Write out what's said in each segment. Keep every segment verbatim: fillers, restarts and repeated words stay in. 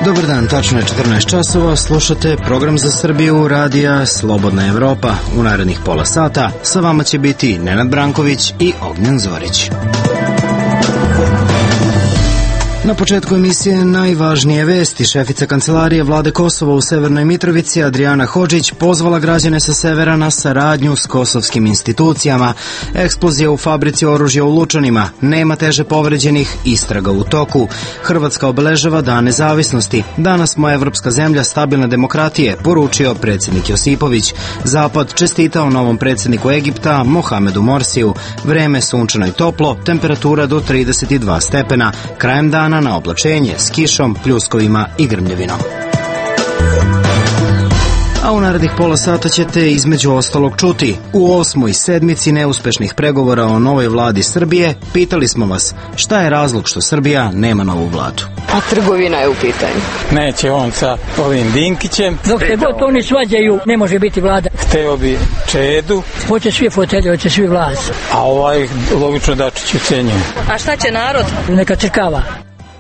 Dobar dan, tačno je četrnaest časova, slušate program za Srbiju radija Slobodna Evropa. U narednih pola sata sa vama će biti Nenad Branković i Ognjen Zorić. Na početku emisije najvažnije vesti. Šefica kancelarije vlade Kosova u Severnoj Mitrovici Adriana Hodžić pozvala građane sa severa na saradnju s kosovskim institucijama. Eksplozija u fabrici oružja u Lučanima. Nema teže povređenih, istraga u toku. Hrvatska obeležava Dan nezavisnosti. Danas smo evropska zemlja stabilne demokratije, poručio predsjednik Josipović. Zapad čestitao novom predsjedniku Egipta Mohamedu Morsiju. Vreme sunčano i toplo, temperatura do trideset dva stepena. Krajem dana na oblačenje s kišom, pljuskovima i grmljevinom. A u narednih pola sata ćete između ostalog čuti. U osmoj sedmici neuspešnih pregovora o novoj vladi Srbije pitali smo vas šta je razlog što Srbija nema novu vladu. A trgovina je u pitanju. Neće on sa ovim Dinkićem. Dok se god oni svađaju, ne može biti vlada. Hteo bi Čedu. Hoće svi fotelje, hoće svi vlast. A ovaj logično Dačić ucenjuje. A šta će narod? Neka crkava.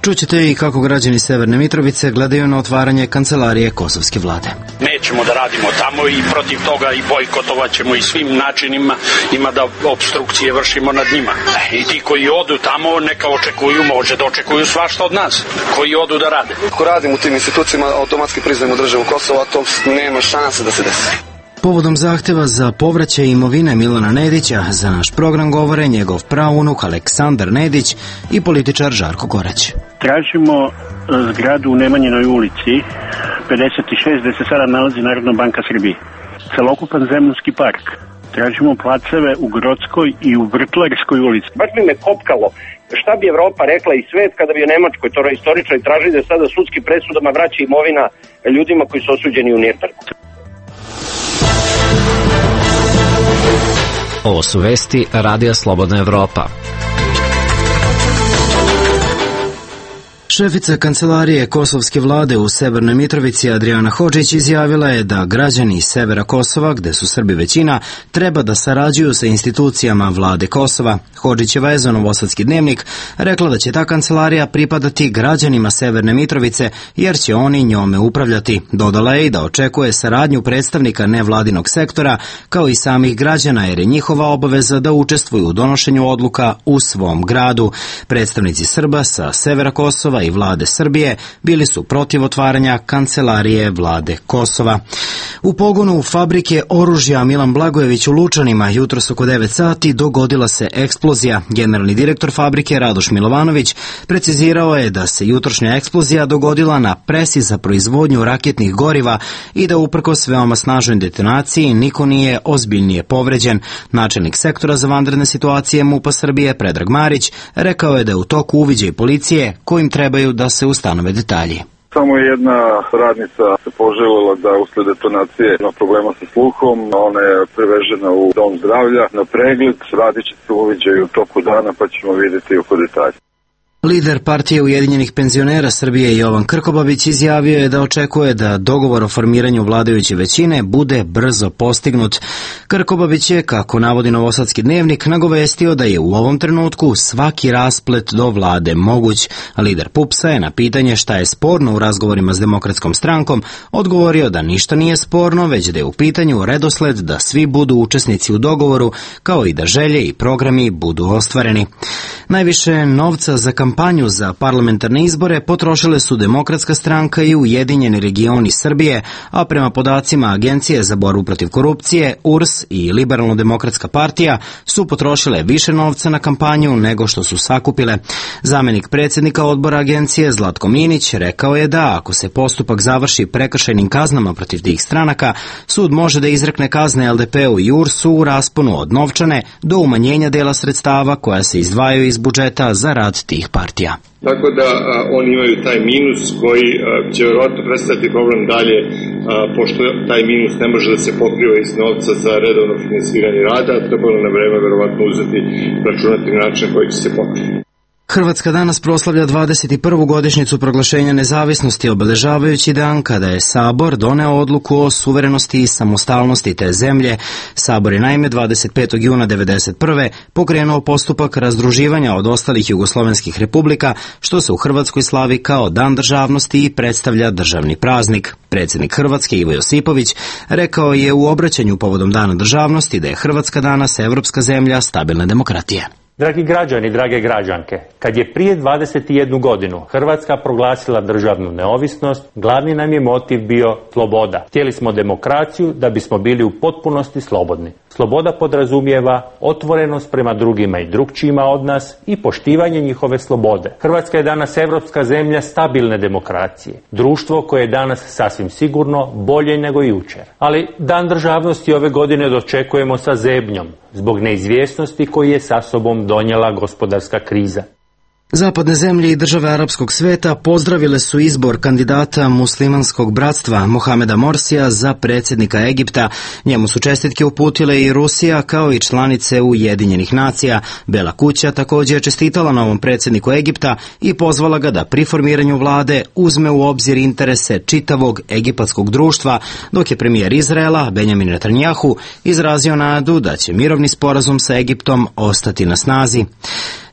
Čućete i kako građani Severne Mitrovice gledaju na otvaranje kancelarije kosovske vlade. Nećemo da radimo tamo i protiv toga i bojkotovat ćemo i svim načinima, ima da obstrukcije vršimo nad njima. I ti koji odu tamo neka očekuju, može da očekuju svašta od nas, koji odu da rade. Ako radimo u tim institucijama, automatski priznajemo državu Kosova, to nema šanse da se desi. Povodom zahteva za povraćaj imovine Milana Nedića za naš program govore njegov praunuk Aleksandar Nedić i političar Žarko Korać. Tražimo zgradu u Nemanjinoj ulici pedeset šest gde se sada nalazi Narodna banka Srbije. Celokupan Zemunski park. Tražimo placeve u Grodskoj i u Vrtlarskoj ulici. Baš bi me kopkalo šta bi Evropa rekla i svet kada bi u Nemačkoj to istoričari tražili da sada sudskim presudama vraća imovina ljudima koji su osuđeni u Nirnbergu. Ovo su vesti Radija Slobodna Evropa. Šefica kancelarije kosovske vlade u Severnoj Mitrovici Adriana Hodžić izjavila je da građani iz severa Kosova, gde su Srbi većina, treba da sarađuju sa institucijama vlade Kosova. Hodžićeva je za Novosadski dnevnik rekla da će ta kancelarija pripadati građanima Severne Mitrovice jer će oni njome upravljati. Dodala je i da očekuje saradnju predstavnika nevladinog sektora kao i samih građana jer je njihova obaveza da učestvuju u donošenju odluka u svom gradu. Predstavnici Srba sa severa Kosova i vlade Srbije bili su protiv otvaranja kancelarije vlade Kosova. U pogonu fabrike oružja Milan Blagojević u Lučanima jutros oko devet sati dogodila se eksplozija. Generalni direktor fabrike Radoš Milovanović precizirao je da se jutrošnja eksplozija dogodila na presi za proizvodnju raketnih goriva i da uprkos veoma snažnoj detonaciji niko nije ozbiljnije povređen. Načelnik sektora za vanredne situacije MUP-a Srbije Predrag Marić rekao je da je u toku uviđaj policije kojim trebaju da se ustanove detalji. Samo jedna radnica se poželjela da usled detonacije ima problema sa sluhom, ona je prevežena u dom zdravlja na pregled, radit će se uviđaj u toku dana pa ćemo vidjeti oko detalja. Lider partije Ujedinjenih penzionera Srbije Jovan Krkobabić izjavio je da očekuje da dogovor o formiranju vladajuće većine bude brzo postignut. Krkobabić je, kako navodi Novosadski dnevnik, nagovestio da je u ovom trenutku svaki rasplet do vlade moguć. Lider PUPS-a je na pitanje šta je sporno u razgovorima s Demokratskom strankom odgovorio da ništa nije sporno, već da je u pitanju redosled da svi budu učesnici u dogovoru, kao i da želje i programi budu ostvareni. Najviše novca za kampanju za parlamentarne izbore potrošile su Demokratska stranka i Ujedinjeni regioni Srbije, a prema podacima Agencije za borbu protiv korupcije, U R S i Liberalno-demokratska partija su potrošile više novca na kampanju nego što su sakupile. Zamenik predsjednika odbora agencije Zlatko Minić rekao je da ako se postupak završi prekršajnim kaznama protiv tih stranaka, sud može da izrekne kazne L D P-u i U R S-u u rasponu od novčane do umanjenja dela sredstava koja se izdvajaju iz budžeta za rad tih partija. Tako da a, oni imaju taj minus koji a, će vjerojatno predstaviti problem dalje, a, pošto taj minus ne može da se pokriva iz novca za redovno finansiranje rada, trebalo na vreme vjerovatno uzeti, računati na način koji će se pokriti. Hrvatska danas proslavlja dvadeset prvu godišnjicu proglašenja nezavisnosti, obeležavajući dan kada je Sabor doneo odluku o suverenosti i samostalnosti te zemlje. Sabor je naime dvadeset petog juna devedeset prve pokrenuo postupak razdruživanja od ostalih jugoslovenskih republika, što se u Hrvatskoj slavi kao Dan državnosti i predstavlja državni praznik. Predsjednik Hrvatske Ivo Josipović rekao je u obraćanju povodom Dana državnosti da je Hrvatska danas evropska zemlja stabilne demokratije. Dragi građani, drage građanke, kad je prije dvadeset jednu godinu Hrvatska proglasila državnu neovisnost, glavni nam je motiv bio sloboda. Htjeli smo demokraciju da bismo bili u potpunosti slobodni. Sloboda podrazumijeva otvorenost prema drugima i drugčijima od nas i poštivanje njihove slobode. Hrvatska je danas evropska zemlja stabilne demokracije. Društvo koje je danas sasvim sigurno bolje nego jučer. Ali Dan državnosti ove godine dočekujemo sa zebnjom, zbog neizvjesnosti koji je sa sobom donijela gospodarska kriza. Zapadne zemlje i države arapskog sveta pozdravile su izbor kandidata muslimanskog bratstva Mohameda Morsija za predsjednika Egipta. Njemu su čestitke uputile i Rusija kao i članice Ujedinjenih nacija. Bela kuća također je čestitala novom predsjedniku Egipta i pozvala ga da pri formiranju vlade uzme u obzir interese čitavog egipatskog društva, dok je premijer Izraela Benjamin Netanjahu izrazio nadu da će mirovni sporazum sa Egiptom ostati na snazi.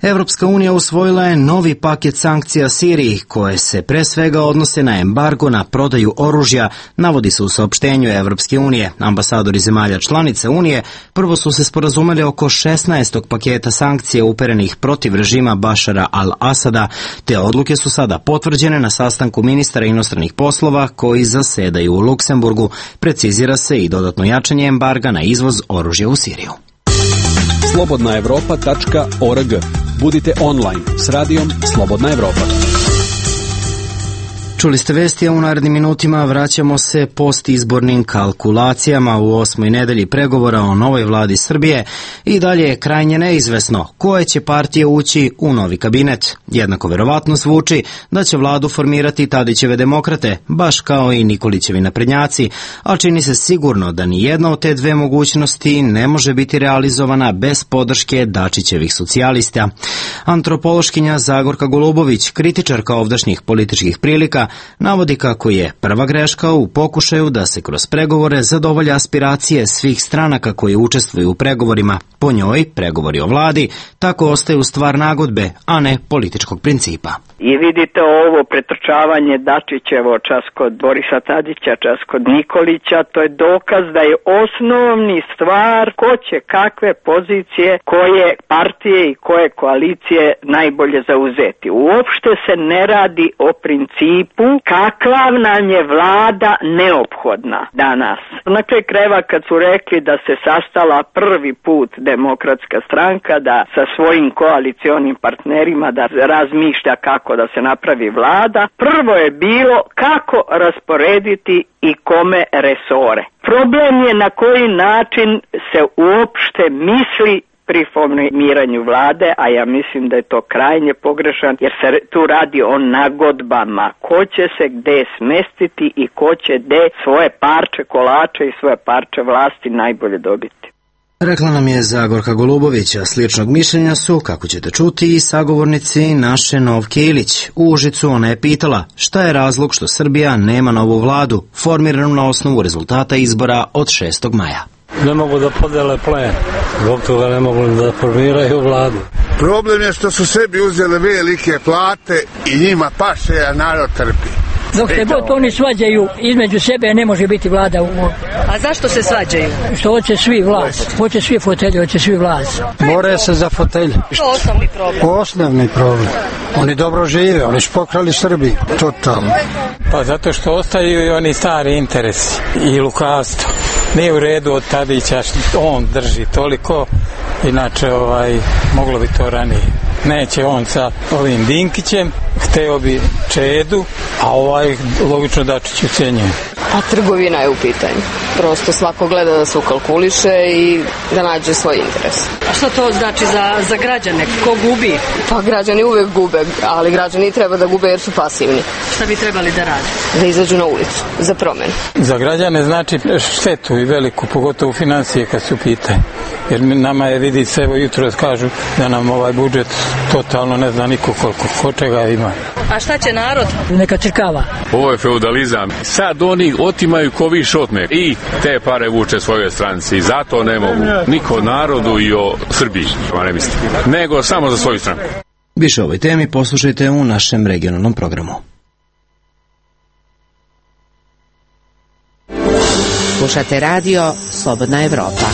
Evropska unija usvojila je novi paket sankcija Siriji, koje se pre svega odnose na embargo na prodaju oružja, navodi se u saopštenju Evropske unije. Ambasadori zemalja članica Unije prvo su se sporazumeli oko šesnaestog paketa sankcija uperenih protiv režima Bašara al-Asada. Te odluke su sada potvrđene na sastanku ministara inostranih poslova koji zasedaju u Luksemburgu. Precizira se i dodatno jačanje embarga na izvoz oružja u Siriju. slobodna evropa tačka org. Budite online s radijom Slobodna Evropa. Čuli ste vesti, a u narednim minutima vraćamo se postizbornim kalkulacijama u osmoj nedelji pregovora o novoj vladi Srbije i dalje je krajnje neizvesno koje će partije ući u novi kabinet. Jednako verovatno zvuči da će vladu formirati Tadićeve demokrate, baš kao i Nikolićevi naprednjaci, a čini se sigurno da ni jedna od te dve mogućnosti ne može biti realizovana bez podrške Dačićevih socijalista. Antropološkinja Zagorka Golubović, kritičarka ovdašnjih političkih prilika, navodi kako je prva greška u pokušaju da se kroz pregovore zadovolje aspiracije svih stranaka koji učestvuju u pregovorima. Po njoj, pregovori o vladi tako ostaju stvar nagodbe, a ne političkog principa. I vidite ovo pretrčavanje Dačićevo čas kod Borisa Tadića, čas kod Nikolića, to je dokaz da je osnovni stvar ko će kakve pozicije, koje partije i koje koalicije najbolje zauzeti. Uopšte se ne radi o principu kakva nam je vlada neophodna danas. Na kraju krajeva kad su rekli da se sastala prvi put Demokratska stranka da sa svojim koalicionim partnerima da razmišlja kako da se napravi vlada, prvo je bilo kako rasporediti i kome resore. Problem je na koji način se uopšte misli pri formiranju vlade, a ja mislim da je to krajnje pogrešan, jer se tu radi o nagodbama. Ko će se gde smestiti i ko će gde svoje parče kolača i svoje parče vlasti najbolje dobiti. Rekla nam je Zagorka Golubović, a sličnog mišljenja su, kako ćete čuti, i sagovornici naše Novke Ilić. U Užicu ona je pitala šta je razlog što Srbija nema novu vladu, formiranu na osnovu rezultata izbora od šestog maja. Ne mogu da podele plen, zbog toga ne mogu da formiraju vladu. Problem je što su sebi uzeli velike plate i njima paše, a narod trpi. Dok se god oni svađaju između sebe, ne može biti vlada u... A zašto se svađaju? Što hoće svi vlast, hoće svi fotelje, hoće svi vlast. More se za fotelje. Što je osnovni problem? Osnovni problem. Oni dobro žive, oni su pokrali Srbiju, totalno. Pa zato što ostaju i oni stari interesi i lukavstvo. Nije u redu od Tadića što on drži toliko, inače ovaj, moglo bi to ranije. Neće on sa ovim Dinkićem, hteo bi Čedu, a ovaj logično Dačić ucenjuje. Pa trgovina je u pitanju. Prosto svako gleda da se ukalkuliše i da nađe svoj interes. A što to znači za, za građane? Ko gubi? Pa građani uvek gube, ali građani treba da gube jer su pasivni. Šta bi trebali da rade? Da izađu na ulicu, za promenu. Za građane znači štetu i veliku, pogotovo financije kad su pitanje. Jer nama je, vidite se, evo jutro kažu da nam ovaj budžet totalno ne zna niko koliko, ko čega ima. A šta će narod? Neka crkava. Ovo je feudalizam. Sad oni otimaju ko više otme i te pare vuče svoje stranci. Zato ne mogu niko narodu i o Srbiji, ne mislim, nego samo za svoju stranu. Više o ovoj temi poslušajte u našem regionalnom programu. Slušate radio Slobodna Evropa.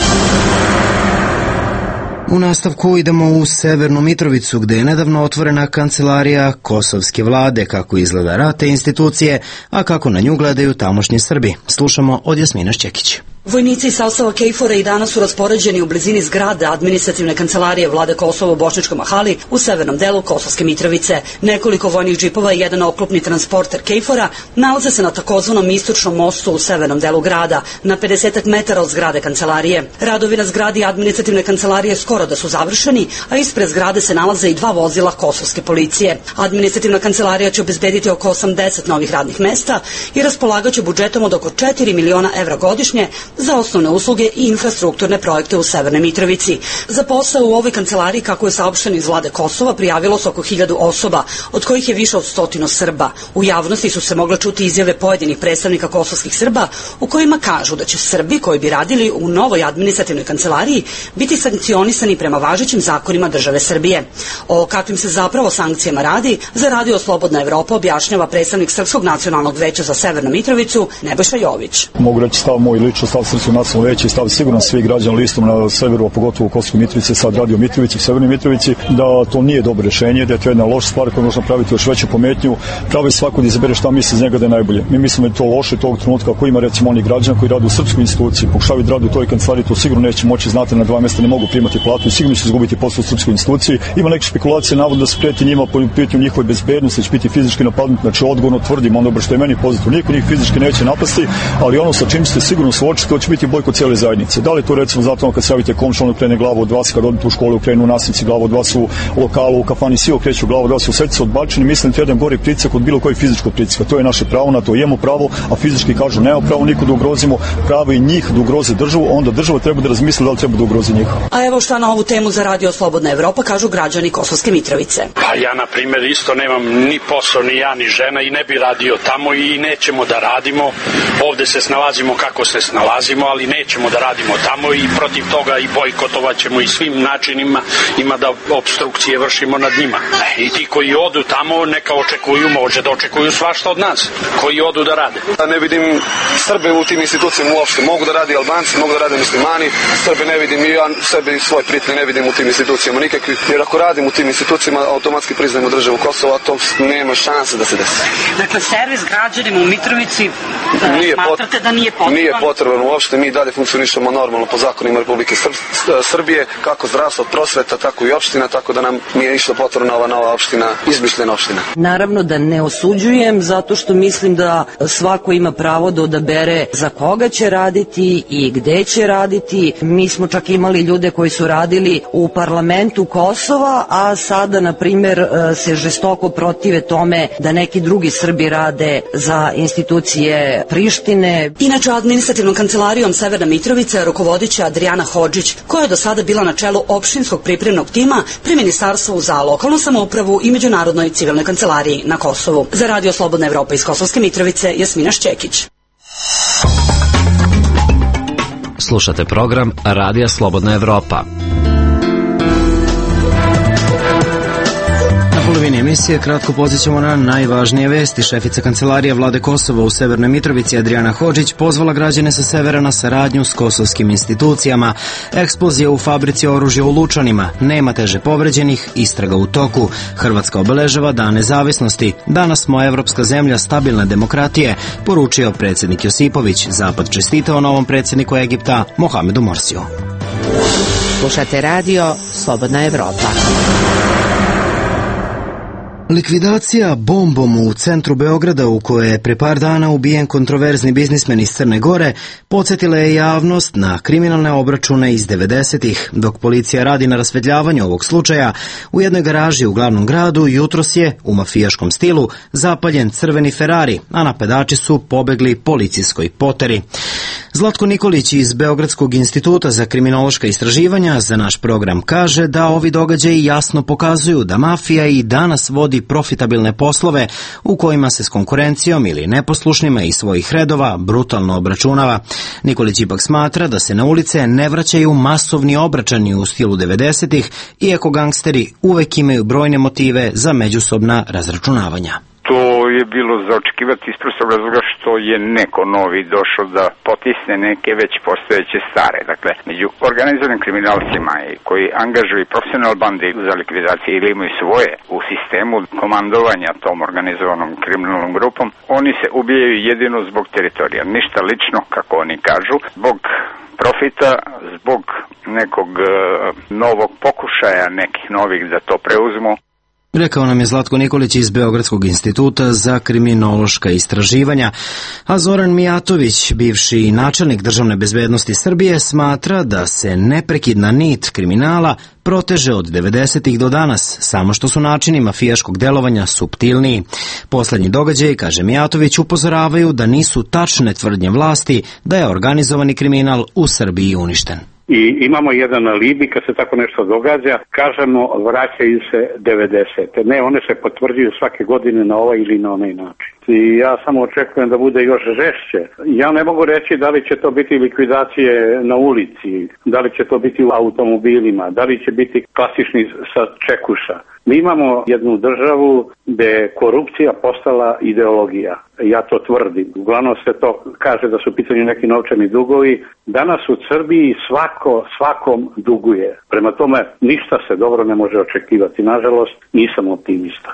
U nastavku idemo u Severnu Mitrovicu, gde je nedavno otvorena kancelarija kosovske vlade, kako izgleda rad te institucije, a kako na nju gledaju tamošnji Srbi. Slušamo od Jasmina Šćekić. Vojnici iz sastava KFOR-a i danas su raspoređeni u blizini zgrade administrativne kancelarije vlade Kosova u Bošničkom Mahali u severnom delu Kosovske Mitrovice. Nekoliko vojnih džipova i jedan oklopni transporter KFOR-a nalaze se na takozvanom istočnom mostu u severnom delu grada, na pedesetak metara od zgrade kancelarije. Radovi na zgradi administrativne kancelarije skoro da su završeni, a ispred zgrade se nalaze i dva vozila kosovske policije. Administrativna kancelarija će obezbediti oko osamdeset novih radnih mesta i raspolagaće budžetom od oko četiri miliona evra godišnje za osnovne usluge i infrastrukturne projekte u Severnoj Mitrovici. Za posao u ovoj kancelariji, kako je saopšteno iz vlade Kosova, prijavilo se oko hiljadu osoba, od kojih je više od stotinu Srba. U javnosti su se mogle čuti izjave pojedinih predstavnika kosovskih Srba u kojima kažu da će Srbi koji bi radili u novoj administrativnoj kancelariji biti sankcionisani prema važećim zakonima države Srbije. O kakvim se zapravo sankcijama radi, za radio Slobodna Evropa objašnjava predstavnik Srpskog nacionalnog veća za Severnu Mitrovicu, Nebojša Jović. Mogu reći stav moj lično, stav Srpskog nacionalnog veća i stav sigurno svih građana listom na severu, a pogotovo u Kosovskoj Mitrovici, sad radio Mitrovici, u Severnoj Mitrovici, da to nije dobro rešenje, da je to jedna loša stvar koja može napraviti još veću pometnju. Pravi svako da izabere šta misli iz njega da je najbolje. Mi mislimo da je to loše tog trenutka ako ima recimo oni građana koji rade u srpskoj instituciji, pokušavaju da rade u toj kancelariji, to sigurno neće moći, znate, na dva mjesta ne mogu primati platu i sigurno će izgubiti posao u srpskoj instituciji. Ima neke špekulacije, navodno da se preti njima po pitanju njihove bezbednosti, da će biti fizički napadnuti, znači odgovorno tvrdim ono što je meni pozitivno. Niko njih fizički neće napasti, ali ono sa čim ste sigurno suočiti, to će biti bojkot cijele zajednice. Da li to recimo zato kad se javite komšiju, on krene glavu od vas, kad odete u školu, krenu nastavnici glavu od vas, u lokalu, u kafani, svi okreću glavu od vas, u srcu odbačeni, mislim da je jedan gori pritisak od bilo kojeg fizičkog pritiska. To je naše pravo, na to imamo pravo, a fizički kažu nema pravo niko da ugrozimo, pravo i njih da ugroze državu, onda država treba da razmisli da li treba da ugrozi njih. A evo šta na ovu temu za radio Slobodna Evropa kažu građani Kosovske Mitrovice. Pa ja na primjer isto nemam ni posao, ni ja, ni žena i ne bi radio tamo i nećemo da radimo. Ovde se snalazimo kako se snalazimo, ali nećemo da radimo tamo i protiv toga i bojkotovat ćemo i svim načinima ima da obstrukcije vršimo nad njima. I ti koji odu tamo neka očekuju, može da očekuju svašta od nas, koji odu da rade. Ja ne vidim Srbe u tim institucijama uopšte, mogu da radi Albanci, mogu da rade muslimani, Srbe ne vidim i ja sebe i svoje prijatelje ne vidim u tim institucijama nikakvi, jer ako radim u tim institucijama automatski priznajemo državu Kosova, to nema šanse da se desi. Dakle, servis građanima u Mitrovici nije smatrate da nije potreban? Nije potreban uopšte, mi dalje funkcionišemo normalno po zakonima Republike Srbije, kako zdravstvo, prosveta, tako i opština, tako da nam nije išla potrebna ova nova opština, izmišljena opština. Naravno da ne osuđujem, zato što mislim da svako ima pravo da odabere za koga će raditi i gde će raditi. Mi smo čak imali ljude koji su radili u parlamentu Kosova, a sada, na primjer, se žestoko protive tome da neki drugi Srbi rade za institucije Prištine. Inače, administrativnom kancelarijom Severna Mitrovica rukovodit će Adriana Hodžić, koja je do sada bila na čelu opštinskog pripremnog tima pri Ministarstvu za lokalnu samoupravu i Međunarodnoj civilnoj kancelariji na Kosovu. Za radio Slobodna Evropa iz Kosovske Mitrovice, Jasmina Šćekić. Slušate program Radija Slobodna Evropa. U polovini emisije kratko podsjećamo na najvažnije vesti. Šefica kancelarije vlade Kosova u Severnoj Mitrovici Adriana Hodžić pozvala građane sa severa na saradnju s kosovskim institucijama. Eksplozija u fabrici oružja u Lučanima. Nema teže povređenih, istraga u toku. Hrvatska obeležava Dan nezavisnosti. Danas smo evropska zemlja stabilne demokratije, poručio predsjednik Josipović. Zapad čestitao novom predsjedniku Egipta Mohamedu Morsiju. Slušate radio Slobodna Evropa. Likvidacija bombom u centru Beograda u kojoj je pre par dana ubijen kontroverzni biznismen iz Crne Gore podsjetila je javnost na kriminalne obračune iz devedesetih. Dok policija radi na rasvetljavanju ovog slučaja, u jednoj garaži u glavnom gradu jutros je, u mafijaškom stilu, zapaljen crveni Ferrari, a napadači su pobegli policijskoj poteri. Zlatko Nikolić iz Beogradskog instituta za kriminološka istraživanja za naš program kaže da ovi događaji jasno pokazuju da mafija i danas vodi profitabilne poslove u kojima se s konkurencijom ili neposlušnima iz svojih redova brutalno obračunava. Nikolić ipak smatra da se na ulice ne vraćaju masovni obračani u stilu devedesetih, iako gangsteri uvek imaju brojne motive za međusobna razračunavanja. To je bilo za očekivati iz prostog razloga što je neko novi došao da potisne neke već postojeće stare. Dakle, među organizovanim kriminalcima koji angažuju profesionalne bande za likvidacije ili imaju svoje u sistemu komandovanja tom organizovanom kriminalnom grupom, oni se ubijaju jedino zbog teritorija. Ništa lično, kako oni kažu, zbog profita, zbog nekog uh, novog pokušaja nekih novih da to preuzmu. Rekao nam je Zlatko Nikolić iz Beogradskog instituta za kriminološka istraživanja, a Zoran Mijatović, bivši načelnik državne bezbednosti Srbije, smatra da se neprekidna nit kriminala proteže od devedesetih do danas, samo što su načini mafijaškog delovanja suptilniji. Poslednji događaji, kaže Mijatović, upozoravaju da nisu tačne tvrdnje vlasti da je organizovani kriminal u Srbiji uništen. I imamo jedan alibi kad se tako nešto događa, kažemo vraćaju se devedesete. Ne, one se potvrđuju svake godine na ovaj ili na onaj način. I ja samo očekujem da bude još žešće. Ja ne mogu reći da li će to biti likvidacije na ulici, da li će to biti u automobilima, da li će biti klasični sa čekuša. Mi imamo jednu državu gde je korupcija postala ideologija. Ja to tvrdim. Uglavnom se to kaže da su u pitanju neki novčani dugovi. Danas u Srbiji svako svakom duguje. Prema tome ništa se dobro ne može očekivati. Nažalost, nisam optimista.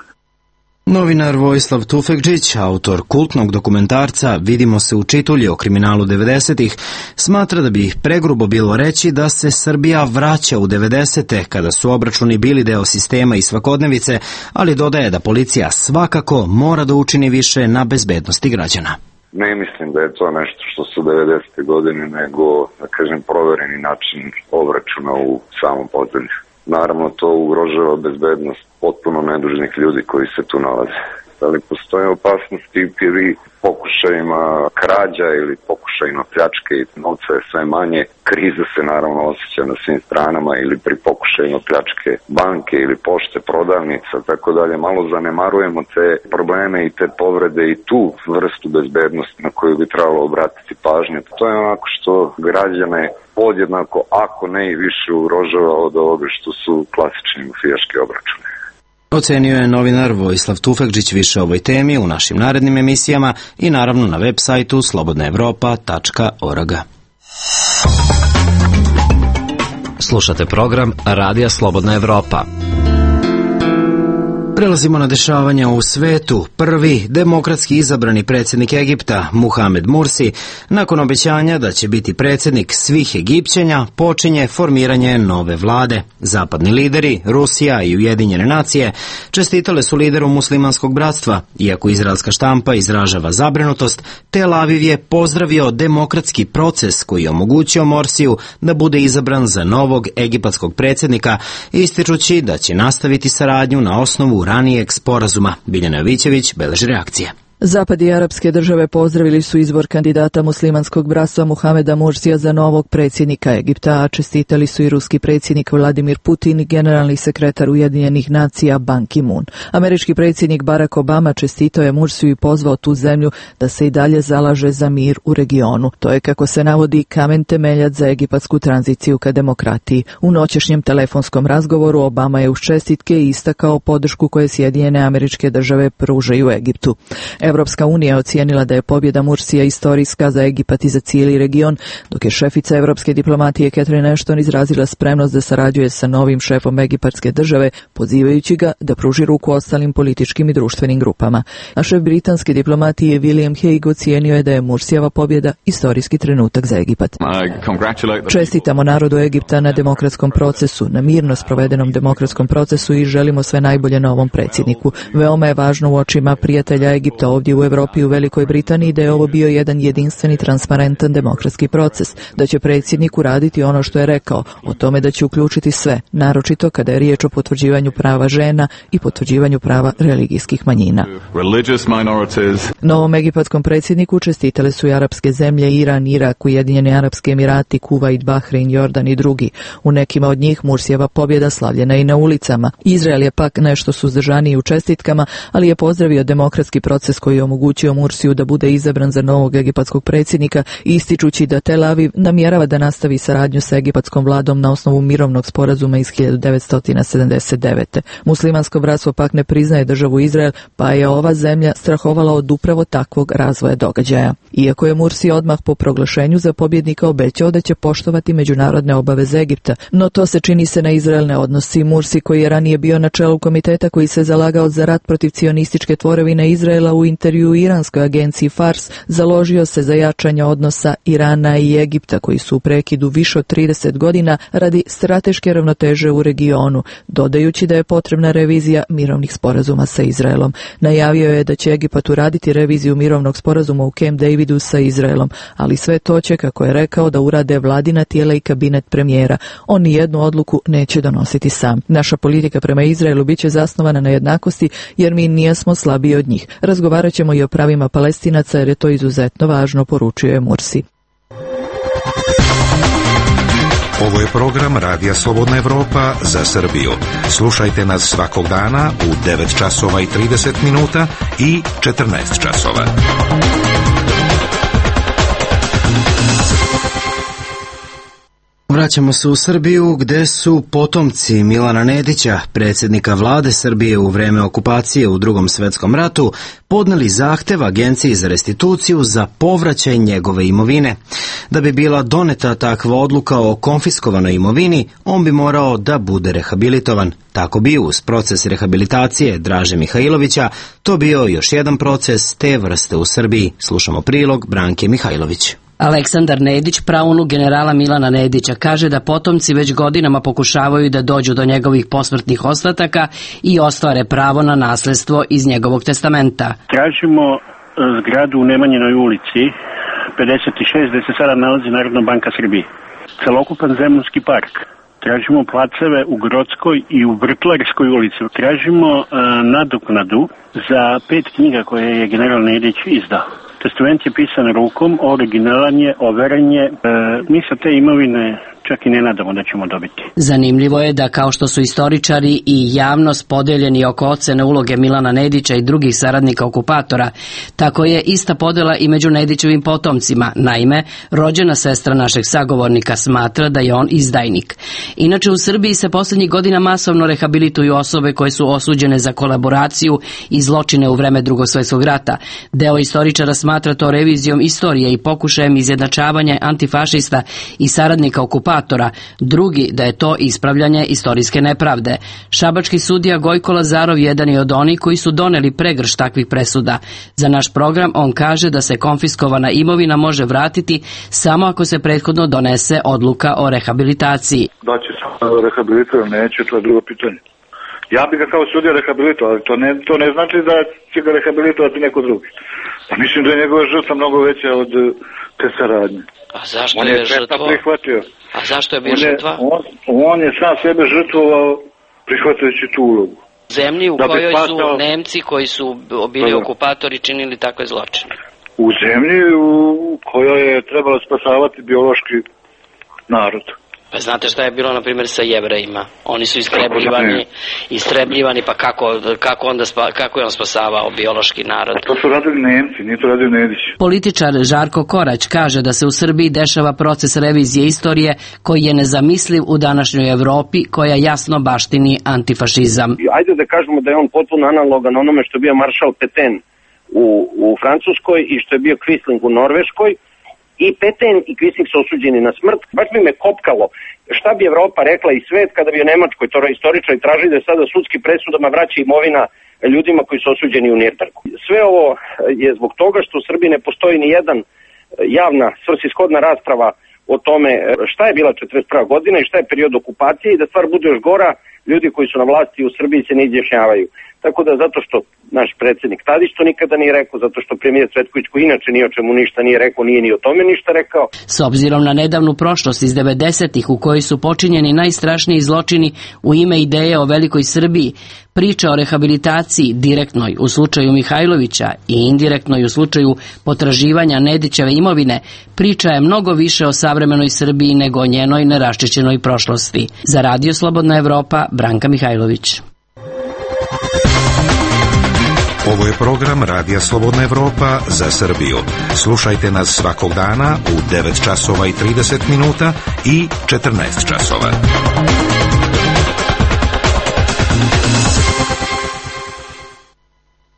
Novinar Vojislav Tufekđić, autor kultnog dokumentarca Vidimo se u Čitulji o kriminalu devedesetih, smatra da bi pregrubo bilo reći da se Srbija vraća u devedesete, kada su obračuni bili deo sistema i svakodnevice, ali dodaje da policija svakako mora da učini više na bezbednosti građana. Ne mislim da je to nešto što su devedesete godine, nego, da kažem, provereni način obračuna u samom podzemlju. Naravno, to ugrožava bezbednost potpuno nedužnih ljudi koji se tu nalaze. Ali postoje opasnosti pri pokušajima krađa ili pokušajima pljačke i novca je sve manje. Kriza se naravno osjeća na svim stranama ili pri pokušajima pljačke banke ili pošte, prodavnica, tako dalje. Malo zanemarujemo te probleme i te povrede i tu vrstu bezbednosti na koju bi trebalo obratiti pažnju. To je onako što građane podjednako, ako ne i više, ugrožava od ovoga što su klasični mafijaški obračuni. Ocenio je novinar Vojislav Tufekđić. Više o ovoj temi u našim narednim emisijama i naravno na web sajtu slobodna evropa tačka org. Slušate program Radija Slobodna Evropa. Prelazimo na dešavanja u svetu. Prvi demokratski izabrani predsjednik Egipta, Muhamed Mursi, nakon obećanja da će biti predsjednik svih Egipćanja, počinje formiranje nove vlade. Zapadni lideri, Rusija i Ujedinjene nacije, čestitale su lideru muslimanskog bratstva. Iako izraelska štampa izražava zabrinutost, Tel Aviv je pozdravio demokratski proces koji je omogućio Morsiju da bude izabran za novog egipatskog predsjednika, ističući da će nastaviti saradnju na osnovu ranijeg sporazuma. Biljana Jovićević beleži reakcije. Zapad i arapske države pozdravili su izbor kandidata muslimanskog bratstva Muhameda Mursija za novog predsjednika Egipta, a čestitali su i ruski predsjednik Vladimir Putin i generalni sekretar Ujedinjenih nacija Ban Ki-moon. Američki predsjednik Barack Obama čestitao je Mursiju i pozvao tu zemlju da se i dalje zalaže za mir u regionu. To je, kako se navodi, kamen temeljac za egipatsku tranziciju ka demokratiji. U noćešnjem telefonskom razgovoru Obama je uz čestitke istakao podršku koje Sjedinjene Američke Države pružaju Egiptu. Evropska unija ocijenila da je pobjeda Mursija istorijska za Egipat i za cijeli region, dok je šefica evropske diplomatije Catherine Ashton izrazila spremnost da sarađuje sa novim šefom egipatske države, pozivajući ga da pruži ruku ostalim političkim i društvenim grupama. A šef britanske diplomatije William Hague ocijenio je da je Mursijeva pobjeda istorijski trenutak za Egipat. Čestitamo narodu Egipta na demokratskom procesu, na mirno sprovedenom demokratskom procesu i želimo sve najbolje novom predsjedniku. Veoma je važno u očima prijatelja Egipta ovdje u Europi i u Velikoj Britaniji da je ovo bio jedan jedinstveni, transparentan demokratski proces, da će predsjednik uraditi ono što je rekao, o tome da će uključiti sve, naročito kada je riječ o potvrđivanju prava žena i potvrđivanju prava religijskih manjina. Novom egipatskom predsjedniku čestitale su i arapske zemlje Iran, Irak, Ujedinjeni Arapski Emirati, Kuvajt, Bahrein, Jordan i drugi. U nekima od njih Mursijeva pobjeda slavljena i na ulicama. Izrael je pak nešto suzdržaniji u čestitkama, ali je pozdravio demokratski proces koji je omogućio Mursiju da bude izabran za novog egipatskog predsjednika, ističući da Tel Aviv namjerava da nastavi saradnju sa egipatskom vladom na osnovu mirovnog sporazuma iz hiljadu devetsto sedamdeset devete. Muslimansko bratstvo pak ne priznaje državu Izrael, pa je ova zemlja strahovala od upravo takvog razvoja događaja. Iako je Mursi odmah po proglašenju za pobjednika obećao da će poštovati međunarodne obaveze Egipta, no to se čini se na Izrael ne odnosi. Mursi, koji je ranije bio na čelu komiteta koji se zalagao za rat protiv cionističke tvorevine Izraela, u intervju iranskoj agenciji Fars založio se za jačanje odnosa Irana i Egipta koji su u prekidu više od trideset godina radi strateške ravnoteže u regionu, dodajući da je potrebna revizija mirovnih sporazuma sa Izraelom. Najavio je da će Egipat uraditi reviziju mirovnog sporazuma u Camp Davidu sa Izraelom, ali sve to će, kako je rekao, da urade vladina tijela i kabinet premijera. On ni jednu odluku neće donositi sam. Naša politika prema Izraelu bit će zasnovana na jednakosti jer mi nismo slabiji od njih. Razgovarat ćemo i o pravima Palestinaca jer je to izuzetno važno, poručio je Mursi. Ovo je program Radija Slobodna Evropa za Srbiju. Slušajte nas svakog dana u devet časova i trideset minuta i četrnaest časova. Vraćamo se u Srbiju gdje su potomci Milana Nedića, predsjednika vlade Srbije u vreme okupacije u Drugom svjetskom ratu, podneli zahtev Agenciji za restituciju za povraćaj njegove imovine. Da bi bila doneta takva odluka o konfiskovanoj imovini, on bi morao da bude rehabilitovan. Tako bi uz proces rehabilitacije Draže Mihajlovića to bio još jedan proces te vrste u Srbiji. Slušamo prilog Branke Mihajlović. Aleksandar Nedić, praunuk generala Milana Nedića, kaže da potomci već godinama pokušavaju da dođu do njegovih posmrtnih ostataka i ostvare pravo na nasljedstvo iz njegovog testamenta. Tražimo zgradu u Nemanjinoj ulici pedeset šest gdje se sada nalazi Narodna banka Srbije. Celokupan Zemunski park. Tražimo placeve u Grodskoj i u Vrtlarskoj ulici. Tražimo uh, nadoknadu za pet knjiga koje je general Nedić izdao. Testament je pisan rukom, originalan je, overen je. E, mi sa te imovine čak i ne nadamo da ćemo dobiti. Zanimljivo je da kao što su istoričari i javnost podeljeni oko ocene uloge Milana Nedića i drugih saradnika okupatora, tako je ista podjela i među Nedićevim potomcima. Naime, rođena sestra našeg sagovornika smatra da je on izdajnik. Inače, u Srbiji se posljednjih godina masovno rehabilituju osobe koje su osuđene za kolaboraciju i zločine u vreme Drugog svjetskog rata. Deo istoričara smatra to revizijom istorije i pokušajem izjednačavanja antifašista i saradnika okupatora, drugi da je to ispravljanje istorijske nepravde. Šabački sudija Gojko Lazarov jedan je od onih koji su doneli pregrš takvih presuda. Za naš program on kaže da se konfiskovana imovina može vratiti samo ako se prethodno donese odluka o rehabilitaciji. Da će se rehabilitovati, neće, to je drugo pitanje. Ja bi ga kao sudija rehabilitovao, ali to ne, to ne znači da će ga rehabilitovati neko drugi. Pa mislim da je njegova žrtva mnogo veća od te saradnje. A zašto on je, je žrtvo? prihvatio. A zašto je bio on je, žrtva? On, on je sam sebe žrtvovao prihvatajući tu ulogu. Zemlji u da kojoj spasao... su Nemci koji su bili da, okupatori činili takve zločine. U zemlji u kojoj je trebalo spasavati biološki narod. Pa znate šta je bilo, na primjer, sa Jevrejima? Oni su istrebljivani, istrebljivani, pa kako, kako, onda spa, kako je on spasavao biološki narod? To su radili Nemci, nije to radio Nedić. Političar Žarko Korać kaže da se u Srbiji dešava proces revizije istorije koji je nezamisliv u današnjoj Evropi, koja jasno baštini antifašizam. Ajde da kažemo da je on potpuno analogan onome što je bio maršal Peten u, u Francuskoj i što je bio Quisling u Norveškoj. I Petain i Quisling su osuđeni na smrt. Baš bi me kopkalo šta bi Evropa rekla i svet kada bi o Nemačkoj istoričari tražili da sada sudskim presudama vraća imovina ljudima koji su osuđeni u Nürnbergu. Sve ovo je zbog toga što u Srbiji ne postoji ni jedan javna svrsishodna rasprava o tome šta je bila četrdeset prva godina i šta je period okupacije i da stvar bude još gora, ljudi koji su na vlasti u Srbiji se ne izjašnjavaju. Tako da zato što naš predsjednik Tadić to nikada nije rekao, zato što premijer Cvetković koji inače ni o čemu ništa nije rekao, nije ni o tome ništa rekao. S obzirom na nedavnu prošlost iz devedesetih u kojoj su počinjeni najstrašniji zločini u ime ideje o velikoj Srbiji, priča o rehabilitaciji direktnoj u slučaju Mihajlovića i indirektnoj u slučaju potraživanja Nedićeve imovine, priča je mnogo više o savremenoj Srbiji nego o njenoj neraščišćenoj prošlosti. Za Radio Slobodna Evropa, Branka Mihajlović. Ovo je program Radija Slobodna Evropa za Srbiju. Slušajte nas svakog dana u devet časova i trideset minuta i četrnaest časova.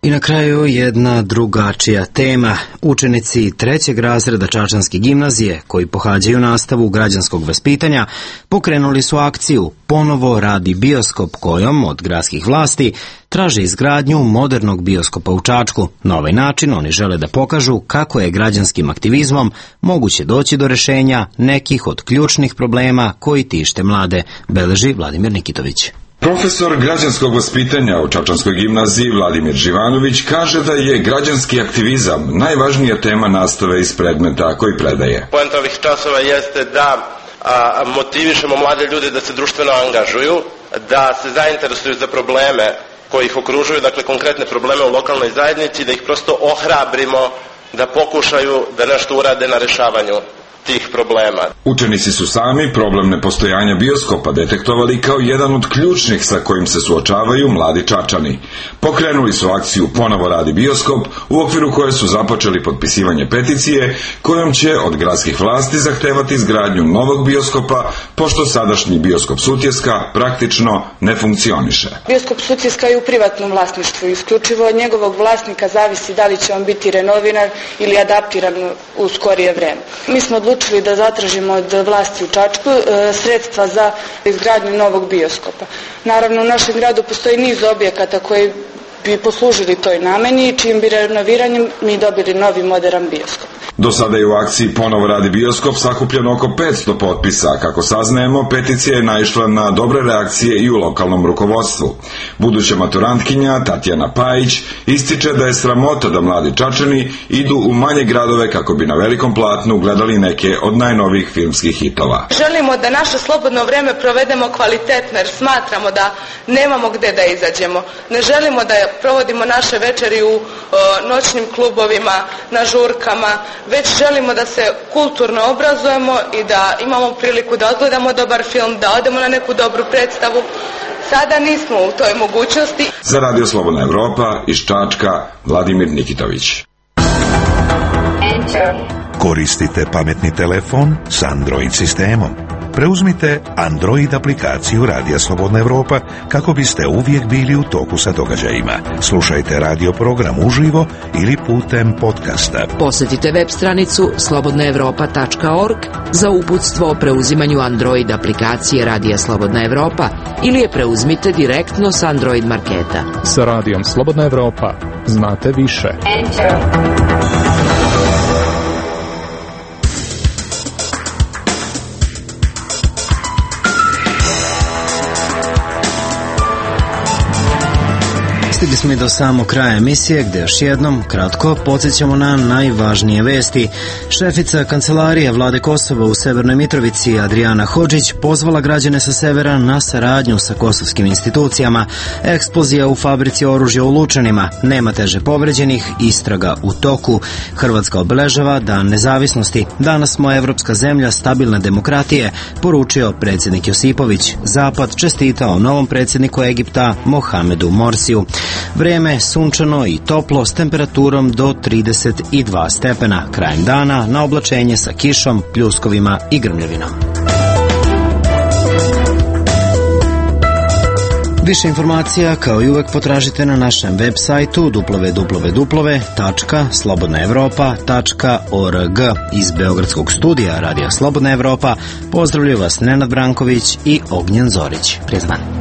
I na kraju jedna drugačija tema. Učenici trećeg razreda Čačanske gimnazije, koji pohađaju nastavu građanskog vaspitanja, pokrenuli su akciju Ponovo radi bioskop, kojom od gradskih vlasti traže izgradnju modernog bioskopa u Čačku. Na ovaj način oni žele da pokažu kako je građanskim aktivizmom moguće doći do rešenja nekih od ključnih problema koji tište mlade, beleži Vladimir Nikitović. Profesor građanskog vaspitanja u Čačanskoj gimnaziji Vladimir Živanović kaže da je građanski aktivizam najvažnija tema nastave iz predmeta koji predaje. Poenta ovih časova jeste da a, motivišemo mlade ljude da se društveno angažuju, da se zainteresuju za probleme koji ih okružuju, dakle konkretne probleme u lokalnoj zajednici, da ih prosto ohrabrimo da pokušaju da nešto urade na rešavanju tih problema. Učenici su sami problem nepostojanja bioskopa detektovali kao jedan od ključnih sa kojim se suočavaju mladi Čačani. Pokrenuli su akciju Ponovo radi bioskop, u okviru koje su započeli potpisivanje peticije kojom će od gradskih vlasti zahtevati izgradnju novog bioskopa, pošto sadašnji bioskop Sutjeska praktično ne funkcioniše. Bioskop Sutjeska je u privatnom vlasništvu. Isključivo od njegovog vlasnika zavisi da li će on biti renoviran ili adaptiran u skorije vreme. Mi smo odlučili da zatražimo od vlasti u Čačku e, sredstva za izgradnju novog bioskopa. Naravno, u našem gradu postoji niz objekata koji bi poslužili toj nameni i čijim bi renoviranjem mi dobili novi modern bioskop. Do sada je u akciji Ponovo radi bioskop sakupljeno oko petsto potpisa. Kako saznajemo, peticija je naišla na dobre reakcije i u lokalnom rukovodstvu. Buduća maturantkinja Tatjana Pajić ističe da je sramota da mladi Čačani idu u manje gradove kako bi na velikom platnu gledali neke od najnovijih filmskih hitova. Želimo da naše slobodno vreme provedemo kvalitetno jer smatramo da nemamo gde da izađemo. Ne želimo da provodimo naše večeri u o, noćnim klubovima, na žurkama, već želimo da se kulturno obrazujemo i da imamo priliku da odgledamo dobar film, da odemo na neku dobru predstavu. Sada nismo u toj mogućnosti. Za Radio Slobodna Evropa iz Čačka, Vladimir Nikitović. Koristite pametni telefon s Android sistemom. Preuzmite Android aplikaciju Radija Slobodna Evropa kako biste uvijek bili u toku sa događajima. Slušajte radio program uživo ili putem podcasta. Posjetite web stranicu slobodna evropa tačka org za uputstvo o preuzimanju Android aplikacije Radija Slobodna Evropa ili je preuzmite direktno s Android marketa. Sa Radijom Slobodna Evropa znate više. Enter. Stigli smo i do samog kraja emisije gdje još jednom kratko podsjećamo na najvažnije vesti. Šefica kancelarije Vlade Kosova u Severnoj Mitrovici Adriana Hodžić pozvala građane sa severa na saradnju sa kosovskim institucijama. Eksplozija u fabrici oružja u Lučanima, nema teže povređenih, istraga u toku. Hrvatska obeležava Dan nezavisnosti. Danas smo evropska zemlja stabilne demokratije, poručio predsjednik Josipović. Zapad čestitao novom predsjedniku Egipta Mohamedu Morsiju. Vrijeme sunčano i toplo s temperaturom do trideset dva stepena. Krajem dana na oblačenje sa kišom, pljuskovima i grmljavinom. Više informacija kao i uvek potražite na našem web sajtu w w w tačka slobodna evropa tačka org. Iz Beogradskog studija Radija Slobodna Evropa pozdravljaju vas Nenad Branković i Ognjen Zorić. Prijatno.